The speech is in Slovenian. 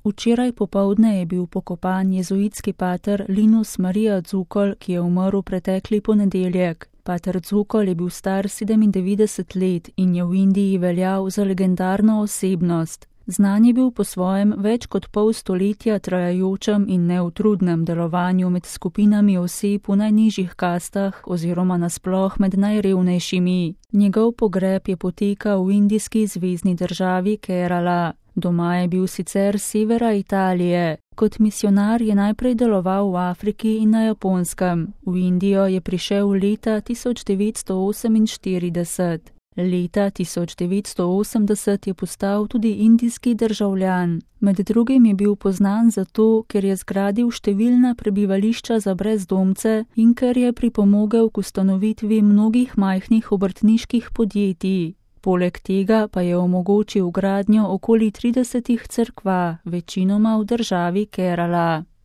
Včeraj popoldne je bil pokopan jezuitski pater Linus Marija Dzukol, ki je umrl pretekli ponedeljek. Pater Dzukol je bil star 97 let in je v Indiji veljal za legendarno osebnost. Znan je bil po svojem več kot pol stoletja trajajočem in neutrudnem delovanju med skupinami oseb v najnižjih kastah oziroma nasploh med najrevnejšimi. Njegov pogreb je potekal v indijski zvezni državi Kerala. Doma je bil sicer s severa Italije. Kot misionar je najprej deloval v Afriki in na Japonskem. V Indijo je prišel leta 1948. Leta 1980 je postal tudi indijski državljan. Med drugim je bil poznan zato, ker je zgradil številna prebivališča za brezdomce in ker je pripomogel k ustanovitvi mnogih majhnih obrtniških podjetij. Poleg tega pa je omogočil gradnjo okoli 30 cerkva, večinoma v državi Kerala.